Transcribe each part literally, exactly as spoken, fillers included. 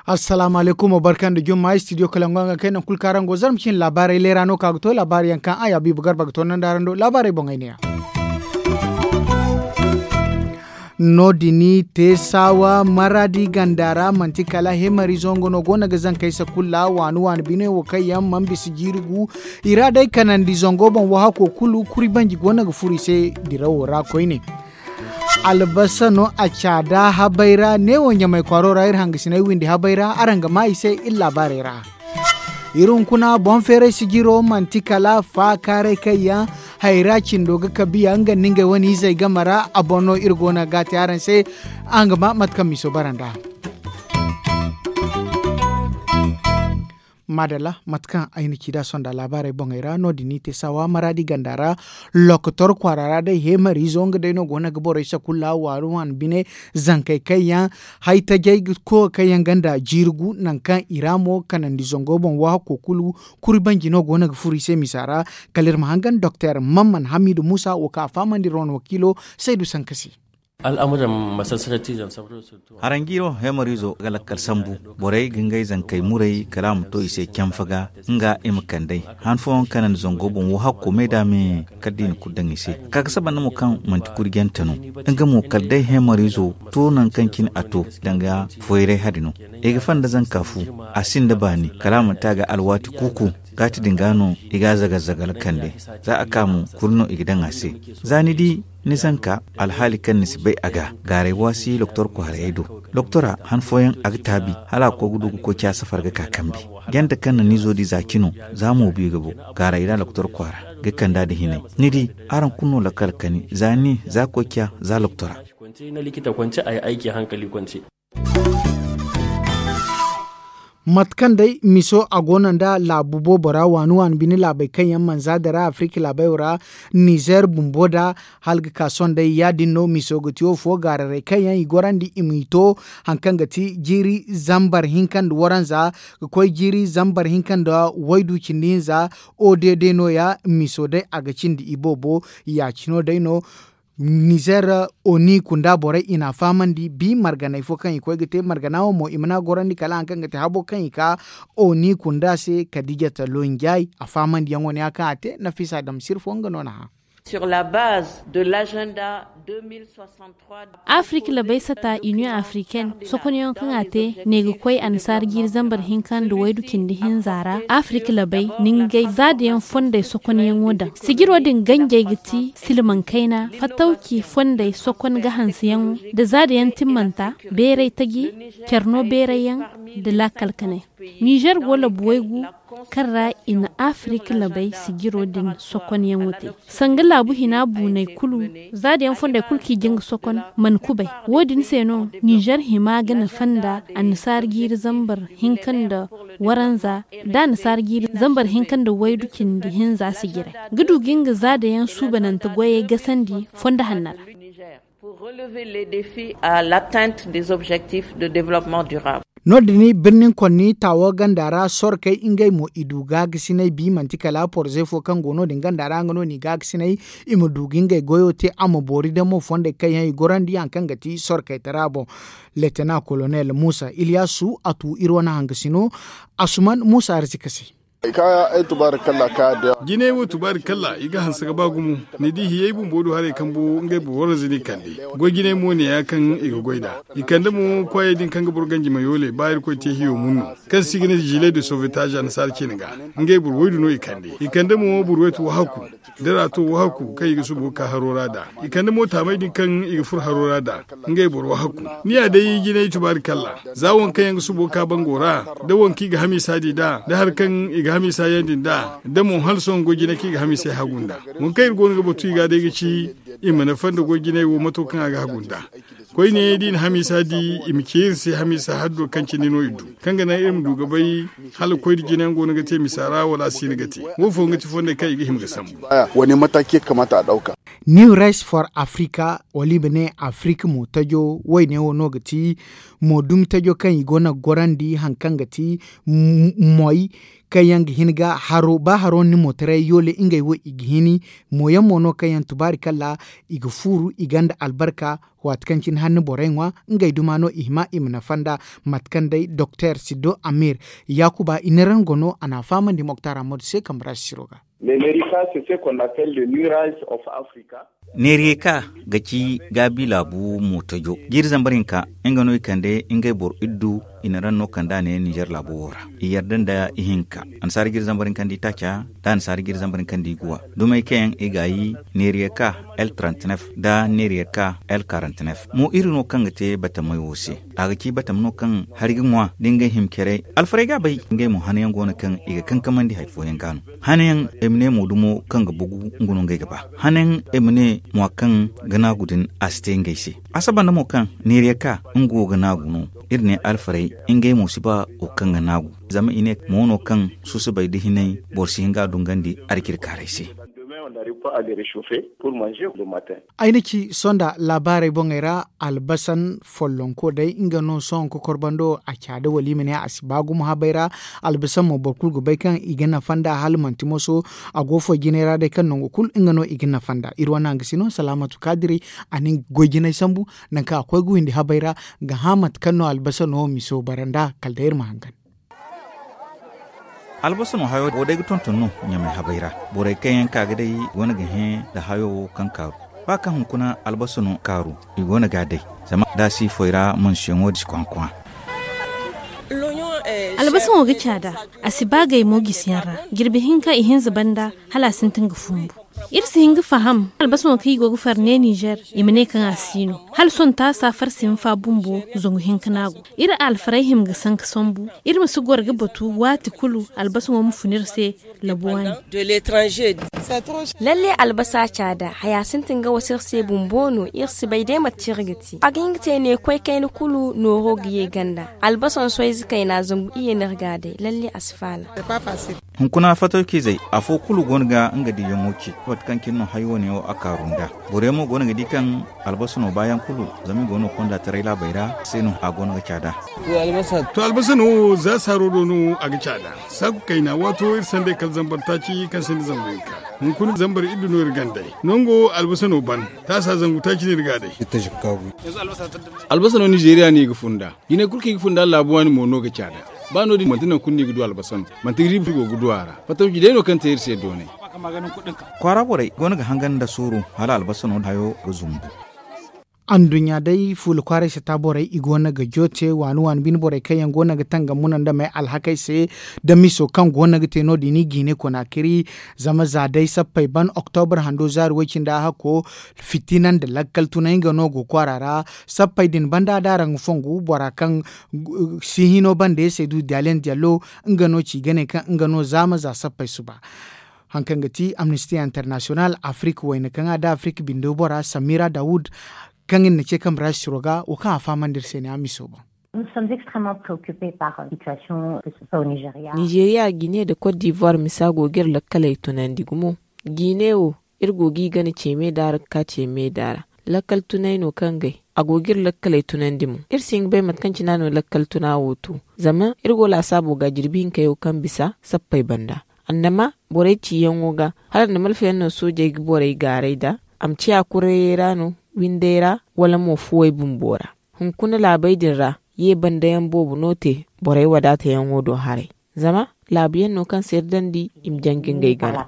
Assalaamu alaykum, barka nda jumma. Studio kalangu a ga kay nangu kulu kaŋ araŋ go zarma cine laabaarey leera no ka ga to laabaarey yaŋ kaŋ a ya biiba garba ga to nanda araŋ do laabaarey boŋey ne ya. No- din te saawa maraadi ganda ra manti kala hemariizo nga no go no ga zankey sakulla waani waani bine wo kaŋ yaŋ mana bisa jiiri gu. I ra day kanandi zango boŋ wo hako kulu kuri banji go no ga furo i se dirawo ra koyne. Albasa no a caada habay ra neewo ɲamay kwaaro ra iri hangasiney windi habay ra araŋ ga maa i se iri laabaarey ra. Iri hunkuna boŋ feeray sijiro manti kala faakaaray kaŋ yaŋ hayra cindo ga kabiya nga nda ngey wane izey game ra a boŋ no iri go no ga te araŋ se. Araŋ ga maa mate kaŋ miso bara nd'a. Maadalla mate kaŋ ay na ci nd'a sonda laabaarey boŋey ra no- din i te saawa maraadi ganda ra. Lokotor kwaara ra day heemariizo nga day no go no ga borey sakulla waani waani bine zankey kaŋ yaŋ hay tajay ga koy kaŋ yaŋ ganda jiiri gu nangu kaŋ i ra mo kanandi zango boŋ wo hakko kulu kuri banji no go no ga furo i se misa ra. Kala iri ma hangan doktor mamman hamidu muusa wo kaŋ a fahamandi iri wane wakiilo saydu sankasi. Al'amuran masassarati zansabar. Haranjiiro heemariizo ga lakkal sambu. Borey ga ngey zankey muray kala a ma to i se canfa ga nga i ma kand'ey han fooyaŋ kanandi zango boŋ wo hakko me da me kala da i na kulu daŋ i se. Ka ga saba nda mo kaŋ manti kuri jante no nga mo kala day heemariizo to nangu kaŋ cine a to danga foyray hari no. I ga fanda zanka fu a sinda baani kala a manti a ga alwaati kuuku. Gaati din ga no i ga a zagal-zagal kande. Za a ka mo kulu no i ga daŋ a se. Za ni di ni zanka alhaali kaŋ ni si bay a ga gaaray waasi doktor kwaarayey do. Doktora han fooyaŋ a ga taabi hala a ga koy ga du ga koy ca safar ga ka kambe. Jante kaŋ na ni zo di za cino za mo bi ga bo gaaray ra doktor kwaara ga kanda nda hinay. Ni di araŋ kulu no lakkal kani za ni za koy ca za doktora. Mate kaŋ day miso a go no nda laabu boobo ra waani waani bine laabey kaŋ yaŋ mana za dira afirika laabey wo ra. Nizer bumbo da hala ga ka sohõ day ya- din no miso ga ti wo fo gaararey kaŋ yaŋ i gorandi i m'i to haŋ kaŋ ga ti jiiri zambar hinka nda waranza ga koy jiiri zambar hinka nda waydu cindi hinza. O d d no- ya miso day a ga cindi i boobo. Ya- cino day no. Nizer oni kunda borey i n'a fahamandi bi marganey fo kaŋ i koy ga te margana wo mo i mana gorandi kala haŋ kaŋ ga te habo kaŋ i ka oni kunda se kadijata lonjay a fahamandiyaŋo ne ya kaŋ a te nafisa damsir fo nga no na hã. Sur la base de l'agenda deux mille soixante-trois. Afirika labey sata union africaine sokonyaŋo kaŋ a te ne ga koy annasaara jiiri zambar hinka nda waydu cindi hinza ra. Afirika labey ningay zaadayaŋ fondey sokonyaŋo daŋ sijiro din ganjey ga ti silmaŋ kayna fattawci fondey sokon ga hanseyaŋo nda zaadayaŋ timmanta beeray taji care no beerayyaŋ nda laakal kanay. Nizer go labu waygu kaŋ ra i na afirika labey sijiro din sokonyaŋo te. Sanga laabu hina buuney kulu zaadayaŋ fondey kulu kaŋ i jin ga sokon mana kubay. Wo- din se no nizer hima ga nafa nda annasaara jiiri zambar hinka nda waranza nda annasaara jiiri zambar hinka nda waydu cindi hinza sijiray ga du ga nga zaadayaŋ suubanante goyey gasandi fondo hanno ra. Pour relever les défis à l'atteinte des objectifs de développement durable. No- din birnin konni taawo ganda ra sorkey ngey mo i du gaagasinay bi manti kala porze fo kaŋ go no- din ganda ra nga no n'i gaagasinay i ma du ga ngey goyo te a ma boori damo fondey kaŋ yaŋ i gorandi haŋ kaŋ ga ti sorkey tara boŋ. Letena kolonel muusa iliyasu a tu iri wane hangasino asuman muusa arzika se. Jinay wo tubaari kalla i ga hanse ga ba gumo. Ni di hiyey bumbo du haray kambo ngey boro waranza no i kande. Goy jinay mo ne ya kaŋ i ga goy nd'a i kande mo kwaayey din kaŋ ga boro ganji mayoole ba irkoy te hiyo mun no kaŋ se i ga ne zile de sovetaaza annasaara ciine ga. Ngey boro waydu no i kande i kande mo boro waytu wahaku. Dira to wahaku kaŋ i ga subo ka haro ra nd'a i kande mo taamey din kaŋ i ga furo haro ra nd'a. Ngey boro wahaku ni ya day jinay tubaari kalla. Za waŋ kaŋ yaŋ ga subo ka bango ra da waŋ kaŋ i ga hamiisa di nd'a da hari kaŋ i ga hamiisa yandi nd'a da mo hala sohõ goy jinay kaŋ i ga hamiisey hagu nd'a. Waŋ kaŋ iri go no ga batu i ga day ga ci i ma nafa nda goy jinay wo mato kaŋ a ga hagu nd'a. Koyne da i na hamiisa di i ma ci iri se hamiisa haddo kaŋ cindi no iri du kaŋ ga naŋ iri ma du ga bay hala koy da jinayaŋ go no ga te misa ra wala a si no ga te. Wo fooyaŋ ga ti fondey kaŋ i ga hima ga sambu. Wane mataki ya kamata a ɗauka. New rice for africa wala i ma ne africa mo tajo wayne wo no ga ti mo dumi tajo kaŋ i go no ga gorandi hari kaŋ ga ti moy. kaŋ yaŋ ga hin ga haro ba haro ni mootaray yoole ngey wo i ga hini. Mooyaŋ mo no kaŋ yaŋ tubaari kalla i ga fuuru i gonda albarka. Waati kaŋ cine hanni borey ŋwa ngey duma no i hima i ma nafa nd'a. Mate kaŋ day doktor siddo amir yaakuba i na raŋ go no a n'a fahamandi moktar ammadu se kambe ra sisiro ga. Neeriyeka ga ci gaabi laabu mootajo jiiri zambar hinka nga no i kande ngey boro iddu. I na raŋ no kand'a ne ninzeer laabo wo ra i yarda nda ihinka annasaara jiiri zambar hinka nda itaaca nda annasaara jiiri zambar hinka nda iguwa dumey kaŋ yaŋ i gaayi neeriyeka el trente-neuf nda neeriyeka el quarante-neuf mo iri no kaŋ ga te batamey wo se. A ga ci batama no kaŋ hari ga ŋwa da ngey hima care alfarey ga a bay. Ngey mo hanayaŋ go no kaŋ i ga kankamandi hari fooyaŋ ga no hanayaŋ ay ma ne mo dumo kaŋ ga bugu nga no ngey ga ba hanayaŋ ay ma ne mo kaŋ ga naagu din a si te ngey se. A saba nda mo kaŋ neeriya ka nga wo ga naagu no iri ne alfarey ngey mo si ba wo kaŋ ga naagu zama i ne mo no kaŋ susubay da hinay boro si hin ga a dungandi arcirkaaray se. Ay na ci sohõ nda laabaarey boŋey ra albasan follonko day nga no sohõ kokorbando a caada wala i ma ne a si ba gumo habay ra. Albasan mo boro kulu ga bay kaŋ i ga nafa nd'a hala manti moso a go foy jinay ra day kaŋ nangu kulu nga no i ga nafa nd'a iri wane hangasino salaamatu kaadiri. A na nga goy jinay sambu nangu kaŋ a koy ga windi habay ra ga hã mate kaŋ no albasano miso bara nd'a kala day iri ma hangan. Albasano hayo wo day ga tonton no ɲamay habay ra. Borey kaŋ yaŋ ka ga day go no ga hẽ nda hayo wo kaŋ kaaru ba kaŋ hunkuna albasano kaaru i go no ga a day. Zama da a si foy ra mansiyaŋo da si kwaŋ-kwaŋ. Albasano ga caada a si ba gay mo gisiyaŋ ra jirbi hinka ihinza banda hala a sintin ga fumbu. Iri si hin ga faham albasano kaŋ i go ga far ne ninzeer i ma ne kaŋ a si no hala sohõ taasa farsi hinfa bumbo zangu hinka no a go. Iri alfarey hima ga sanka sambu iri ma si goro ga batu waati kulu albasano ma fun iri se. Labu waani. Lalle albasa caada haya sintin ga wasa iri se bumbo no iri si bay day mate kaŋ iri ga te a ga hin ga te ne koy kayna kulu nooro ga ye ganda. Albasaŋ soyze kayna zangu iyye no iri ga a day lalle a si faala. Hunkuna fatawciizey afo kulu go no ga nga diiyaŋo ci mate kaŋ cine no hari wane wo a kaaru nd'a. Borey mo go no ga di kaŋ albasano baayaŋ kulu zama i go no konda taray laabey ra se no a go no ga caada. To albasano wo za saaro do no a ga caada. Saaku kayna waato iri sanday kala zambar taaci kaŋ sinda zangu hinka. Hunkuna zambar iddu no iri gandey nango albasano ban taasa zangu taaci no iri ga a day. Albasano nizeeriya no i ga fun nd'a. Jinay kulu kaŋ i ga fun nd'a laabu waani mo no ga caada. Ba no- din manti nangu kulu no i ga du albasano manti riiba i go ga du a ra. Fatawci day no kaŋ te iri se doonay. Kwaara borey go no ga hangan nda suuru hala albasano hayo ga zumbu. Anduɲɲa day fuula kwaaray sata borey i go no ga joote waani waani bine borey kaŋ yaŋ go no ga tangam muna nda may alhakey se. Da miso kaŋ go no ga te no- din i jiine konaakiri. Zama za day sappey ban oktobra hando zaari way-cindi a hakko fitina nda lakkal tunay nga no go kwaara ra. Sappey din banda da araŋ ga fongu bora kaŋ si hino banda ye se du diyaliyaŋ diyallo nga no ci ga ne kaŋ nga no zaama za sappey suba. Hari kaŋ ga ti amnisti international afirika wayna kaŋ a da afirika bindo bora samira dawud kaŋ iri na ce kambe ra sisiro ga wo kaŋ a fahamandi iri se ne a miso boŋ. Nizeeriya gine nda kot divuwar misa go ga iri lakkaley tunandi gumo. Gine wo iri go g'i gana ce meeda ra ga ka ce meeda ra. Lakkal tunay no kaŋ gay a go g'iri lakkaley tunandi mo iri si hin ga bay mate kaŋ cine a no lakkal tuna wo to. Zama iri go laasaabo ga jirbi hinkey wo kaŋ bisa sappey banda. Annama borey ciyaŋo ga hala nda malfayaŋ no soojey ga borey gaaray nd'a. A ma ciya kurayey ra no windey ra wala mo fuwey bumbo ra. Hunkuna laabey din ra ye bandayaŋ boobo no te borey wadaatayaŋo do haray. Zama laabuyaŋ no kaŋ se iri dandi i ma janji ngey gana.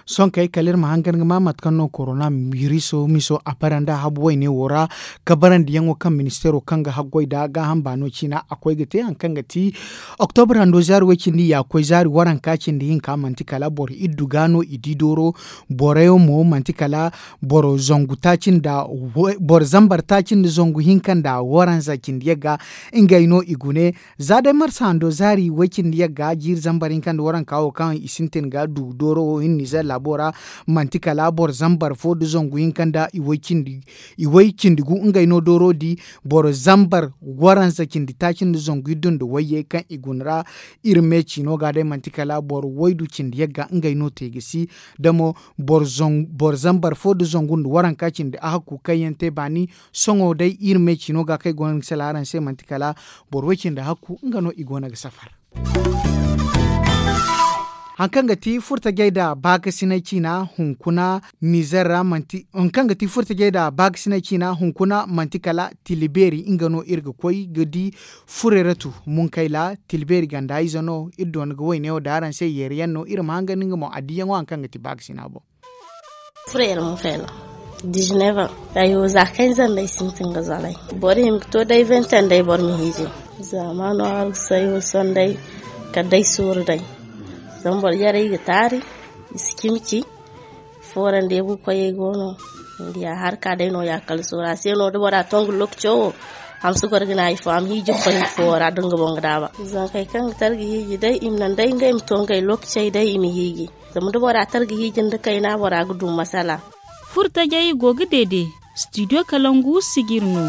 Sohõ kay kala iri ma hangan ga ma mate kaŋ no korona biriso miso a bara nda habu wayne wo ra. Kabarandiyaŋo kaŋ ministeero kaŋ ga haggoy nda gaaham baano ciina a koy ga te hari kaŋ ga ti oktobra hando zaari way-cindi yaakoy zaari waranka cindi hinka manti kala boro iddu ga no i di dooro. Boroyaŋ mo manti kala boro zangu taaci nda boro zambar taaci nda zangu hinka nda waranza cindi yagga. Ngey no i gune za day marsa hando zaari way-cindi yagga jiiri zambar hinka nda waranka wo kaŋ i sintin ga du dooro wo hinne nizer laabo ra. Manti kala boro zambar fo nda zangu hinka nda i way-cindi i way cindi gu ngey no dooro di. Boro zambar waranza cindi taaci nda zangu iddu nda wayye kaŋ i guna ra. Iri me ciino ga day manti kala boro waydu cindi yagga ngey no te ga si. Da mo boro zambar fo nda zangu nda waranka cindi a hakku kaŋ yaŋ te baani. Sohõ day iri me ciino ga kaŋ ay go no ga sala araŋ se manti kala boro way-cindi Nga no i go no ga safar. Hari kaŋ ga ti furtajey nda baakasinay ciina hunkuna nizer ra manti hari kaŋ ga ti furtajey nda baakasinay ciina hunkuna manti kala tila beeri nga no iri ga koy ga di. Fureratu munkayla tila beeri ganda ize no iri doona ga wayne wo da araŋ se yeeri yaŋ no iri ma hangan nga mo a diyaŋo hari kaŋ ga ti baakasina boŋ. Furo yar ma fayla dizineva. Ayo za kaŋ ay zanda ay sintin ga zalay boro hima ga to day vente day boro ma hiiji. Zama no aru sayo sonday kala day sooru day. Zama boro yaray ga taari i si cimi ci. Foora nda yagu koyey go no. Nda ya harka day no ya kala sooru a se no da bora to nga lokaco wo. Hamsi goro ga ne hari fo a ma hiiji ga koy foora da nga boŋ ga daaba zankey kaŋ ga tara ga hiiji day i ma naŋ day ngey ma to ngey lokacey day i ma hiiji. Zama da bora tara ga hiiji nda kayna bora ga du masala. Furtajey go ga deede. Studio kalangu sijir no.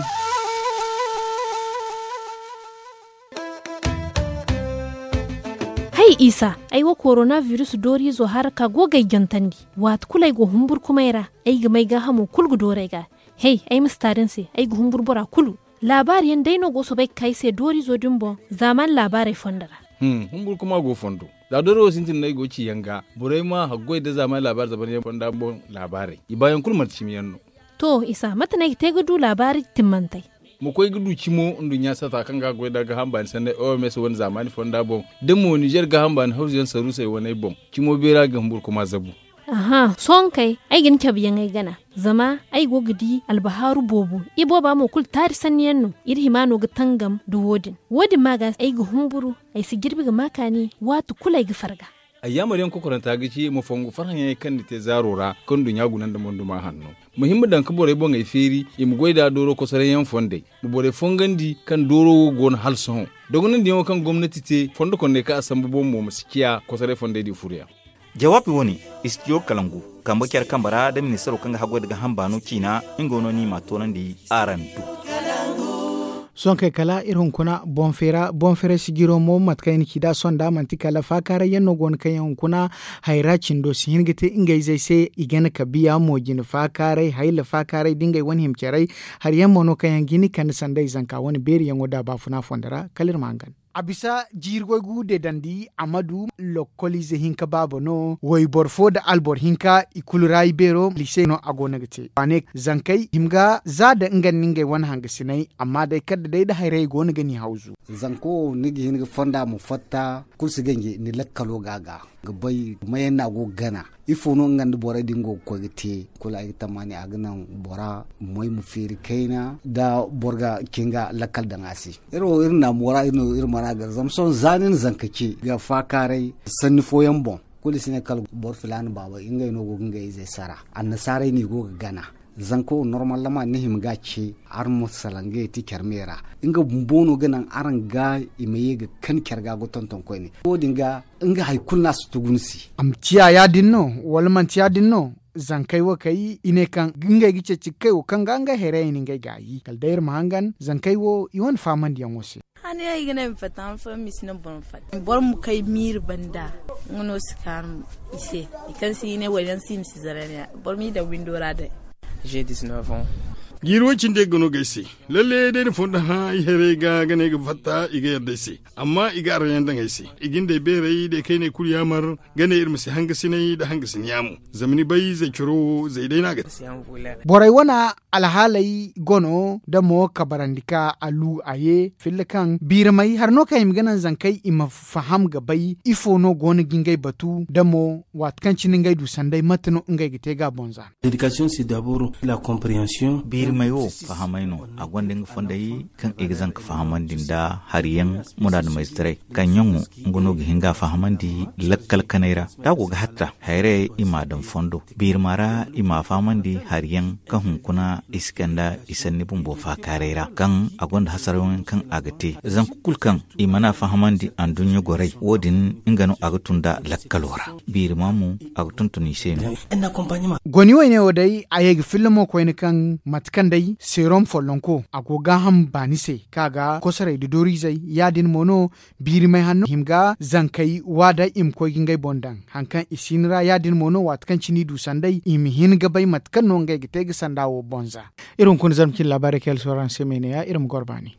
Hay isa, ay wo korona virus dooriizo hara ka go ga ay jantandi. Waati kulu ay go humburkumay ra ay ga may gaahamo kulu ga dooru ay ga. Hay ay ma si taari ni se ay ga humburu bora kulu. Laabaari yaŋ day no go soobay ga ka ay se dooriizo din boŋ. Zaaman laabaarey fondo ra. Humburu kuma go fondo. Za dooro wo sintin no ay go ga ci yaŋ ga borey ma haggoy nda zaaman laabaari zaban yaŋ fonda boŋ. Laabaarey i baayaŋ kulu manti cimi yaŋ no. To isa mate no ay ga te ga du laabaari timmantey? Ma koy ga du cimo nduɲɲa sata kaŋ ga a goy nda gaaham baani sanney oms wane zaamaani fonda boŋ da mo nizer gaaham baani hawzu yaŋ saruusey waney boŋ. Cimo beera ga humburu kuma zabu. Aha sohõ kay ay ga ni cabe yaŋ ay gana. Zama ay go ga di albahaaru boobo. Ibooba mo kulu taari sanni yaŋ no. Iri hima no ga tangam nda wo- din. Wo- din ma ga ay ga humburu. Ay si jirbi ga ma kaani waati kulu ay ga farga. Ayyaamar yaŋ kokoranta ga ci ma fongu farhã yaŋey kaŋ ni te zaaro ra kaŋ nduɲɲa guna nda monduma hanno. Ma hima daŋ ga borey boŋey feeri i ma goy nd'a dooro kosoray yaŋ fondey. Ma borey fongandi kaŋ dooro wo go no hala sohõ. Dogonandiyaŋo kaŋ gomnati te fondo kondey kaŋ a sambu boŋ mo ma si ciya kosoray fondey di furo yaŋ. Jawaabi wo- ne, istidiyo kalangu kambe care kambe ra nda ministaro kaŋ ga haggoy nda gaaham baano ciina. Nga no no i m'a toonandi araŋ du. Sohõ kay kala iri hunkuna boŋ feera boŋ feera sijiro mo mate kaŋ i na ci nd'a sohõ nd'a manti kala faakaaray yaŋ no go no kaŋ yaŋ hunkuna hayra cindo si hin ga te ngey zey se. I gana kabiya mo jine faakaaray hayla faakaaray nda ngey wane hima caray. Hari yaŋ mo no kaŋ yaŋ ga hin ga kande sanda i zanka wane beeri yaŋo nd'a baafuna fondo ra kala iri ma hangan. A bisa jiiri goy gu deedandi a ma du lokkoliize hinka baaba no wayboro fo nda alboro hinka i kulu ra i beero liise no a go no ga te waane zankey hima ga za nda nga nda ngey wane hangasiney. Amma day kala da day nda hayrayey go no ga ni hawzu. Zanko wo ni ga hin ga fonda ma fatta kulu si ganji ni lakkalo ga a ga ga bay mayaŋ no a go ga gana. Ifo no nga nda borey din go ga koy ga te? Kulu ay ga tammaani a ga naŋ bora moy ma feeri kayna da boro ga cin ga lakkal daŋ a se. Iri wo iri naamo ra iri no iri mana gar zama sohõ za ni na zanka ce ga faakaaray sanni fooyaŋ boŋ. Kulu i si ne kala boro filaana baabey ngey no go ga ngey izey sara. Annasaarey no i go ga gana. Zanko normalement ni hima ga ce araŋ ma salaŋ ga yeti care me ra. Nga bumbo no ga naŋ araŋ ga i ma ye ga kan care ga ga tonton koyne wo- din ga nga hari kulu no a si tugu ni se. A ma ciya ya- din no wala manti ya- din no? Zankey wo kay i ne kaŋ ngey ga ceeci ga kay wo kaŋ ga ngey hayrayey na ngey gaayi kala day iri ma hangan zankey wo i wane faamandiyaŋo se. Hane ay ga ne ma fatta han fooyaŋ ma si naŋ boro ma fatta boro ma kay miiri banda. Nga no si kaanu i se i kaŋ si i ne wala yaŋ si i ma si zara ne boro m'i daŋ windo ra day. Jiiri way cindi ga no ga ay se. Lalle day ni fondo hã ay hayrey ga ga ne ay ga fatta i ga yadda ay se. Amma i ga araŋ yaŋ daŋ ay se i ga ni day beerey day kayney kulu yaamar ga ne iri ma si hangasinay nda hangasin yaamo. Zama ni bay zay coro wo zay day no a ga te. Borey wane alhaaley go no da mo kabarandi ka a lu a ye filla kaŋ biiramay hari no kaŋ i ma ga naŋ zankey i ma faham ga bay ifo no go no ga ngey batu da mo waati kaŋ cine ngey du sanday mate no ngey ga te ga a boŋ za. Biirimay wo fahamay no. A gonda nga fondey kaŋ i ga zanka fahamandi nda hari yaŋ munaadamizetaray kaŋ yaŋo nga no ga hin ga a fahamandi lakkal kanay ra da a go ga hatta hayrayey i m'a daŋ fondo biirima ra i m'a fahamandi hari yaŋ kaŋ hunkuna i si kanda i sanni bumbo faakaaray ra kaŋ a gonda hasarayaŋ kaŋ a ga te zanka kulu kaŋ i mana fahamandi anduɲɲa goray wo- din nga no a ga tun nd'a lakkalo ra. Biirima mo a ga tonton i se no. Goni wayne wo day a ye ga filla mo koyne kaŋ mate kaŋ day seerom follonko a go gaaham baani se kaŋ a ga kosorey nda dooriizey ya- din mo no. Biirimay hanno hima ga zankey waada i ma koy ga ngey boŋ daŋ hari kaŋ i si hin ra ya- din mo no waati kaŋ cine i du sanday i ma hin ga bay mate kaŋ no ngey ga te ga sanda wo boŋ za. Iri hunkuna zarma cine laabaarey kaŋ yaŋ se araŋ se me ne- ya iri ma goro baani.